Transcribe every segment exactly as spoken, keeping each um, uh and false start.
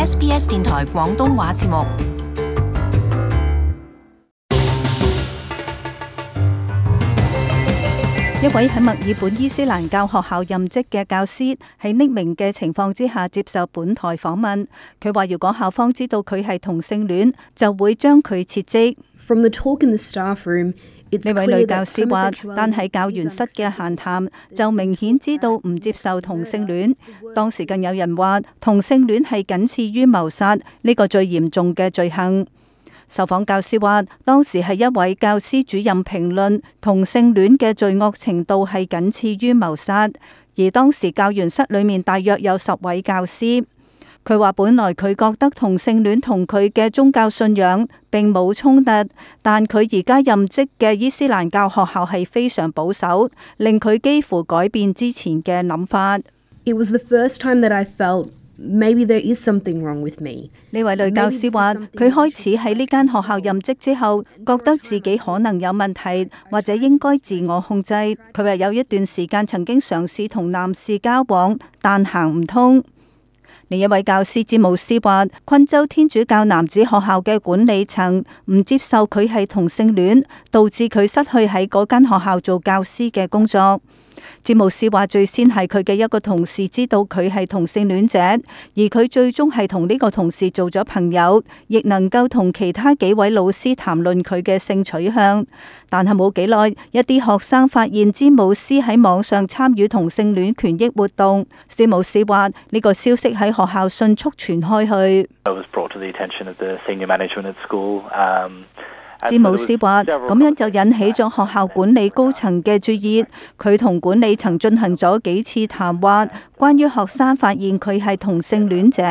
S B S 電台廣東話節目。一位喺墨爾本伊斯蘭教學校任職嘅教師喺匿名嘅情況之下接受本台訪問。佢話：如果校方知道佢係同性戀，就會將佢撤職。From the talk in the staff room, 呢位女教師話，但係教員室嘅閒談就明顯知道唔接受同性戀。當時更有人話，同性戀係僅次於謀殺呢個最嚴重嘅罪行。受訪教師話，當時係一位教師主任評論同性戀嘅罪惡程度係僅次於謀殺，而當時教員室裏面大約有十位教師。佢話本來佢覺得同性戀同佢嘅宗教信仰並冇衝突，但佢而家任職嘅伊斯蘭教學校係非常保守，令佢幾乎改變之前嘅諗法。It was the first time that I felt maybe there is something wrong with me. 呢位女教師話，佢開始喺呢間學校任職之後，覺得自己可能有問題，或者應該自我控制。佢話有一段時間曾經嘗試同男士交往，但行唔通。另一位教師詹姆斯話，昆州天主教男子學校嘅管理層唔接受佢係同性戀，導致佢失去喺嗰間學校做教師嘅工作。詹姆斯話，最先係佢嘅一個同事知道佢係同性戀者，而佢最終係同呢個同事做咗朋友，亦能夠同其他幾位老師談論佢嘅性取向。但係冇幾耐，一啲學生發現詹姆斯喺網上參與同性戀權益活動。詹姆斯話，呢個消息喺學校迅速傳開去。詹姆斯話，咁樣就引起咗學校管理高層嘅注意。佢同管理層進行咗幾次談話，關於學生發現佢係同性戀者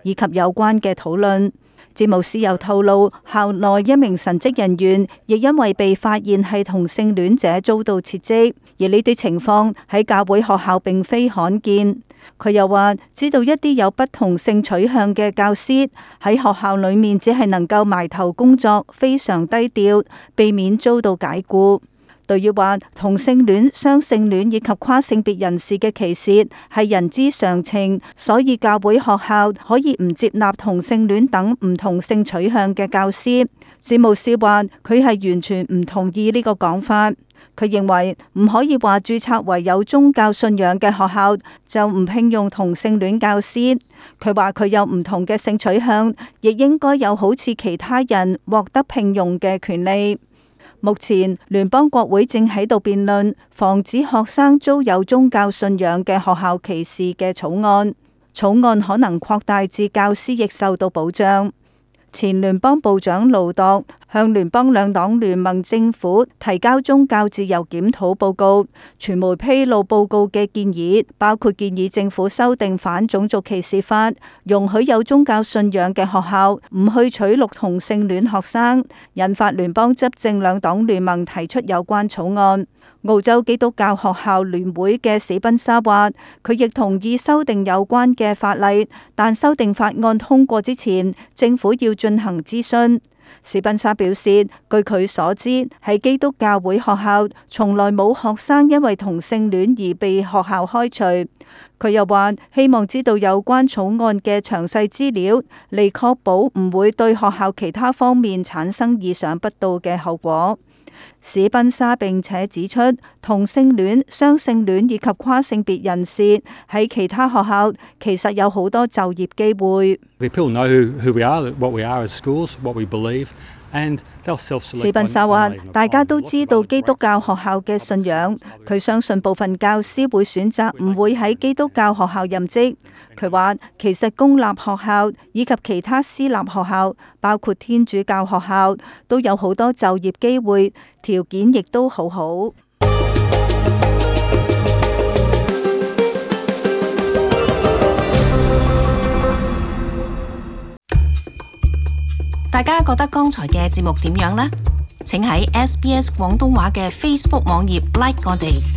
以及有關嘅討論。詹姆斯又透露，校內一名神職人員亦因為被發現係同性戀者遭到撤職，而呢啲情況喺教會學校並非罕見。佢又話，知道一啲有不同性取向嘅教師喺學校裏面只係能夠埋頭工作，非常低調，避免遭到解僱。對於話同性戀、雙性戀以及跨性別人士嘅歧視係人之常情，所以教會學校可以唔接納同性戀等唔同性取向嘅教師。詹姆斯話，佢係完全唔同意呢個講法。佢認為唔可以話註冊為有宗教信仰嘅學校就唔聘用同性戀教師。佢話佢有唔同嘅性取向，亦應該有好似其他人獲得聘用嘅權利。目前聯邦國會正喺度辯論防止學生遭有宗教信仰嘅學校歧視嘅草案，草案可能擴大至教師亦受到保障。前聯邦部長盧度向聯邦兩黨聯盟政府提交宗教自由檢討報告，傳媒披露報告嘅建議，包括建議政府修訂反種族歧視法，容許有宗教信仰嘅學校唔去取錄同性戀學生，引發聯邦執政兩黨聯盟提出有關草案。澳洲基督教學校聯會嘅史賓沙話，佢亦同意修訂有關嘅法例，但修訂法案通過之前，政府要進行諮詢。史賓沙表示，據佢所知，喺基督教會學校從來冇學生因為同性戀而被學校開除。佢又話，希望知道有關草案嘅詳細資料，嚟確保唔會對學校其他方面產生意想不到嘅後果。史賓沙並且指出，同性戀、雙性戀以及跨性別人士喺其他學校其實有好多就業機會。史賓沙話，大家都知道基督教學校嘅信仰，佢相信部分教師會選擇唔會喺基督教學校任職。佢話，其實公立學校以及其他私立學校，包括天主教學校，都有好多就業機會，條件亦都好好。大家覺得剛才嘅節目點樣呢？請喺 S B S 廣東話嘅 Facebook 網頁 like 我哋。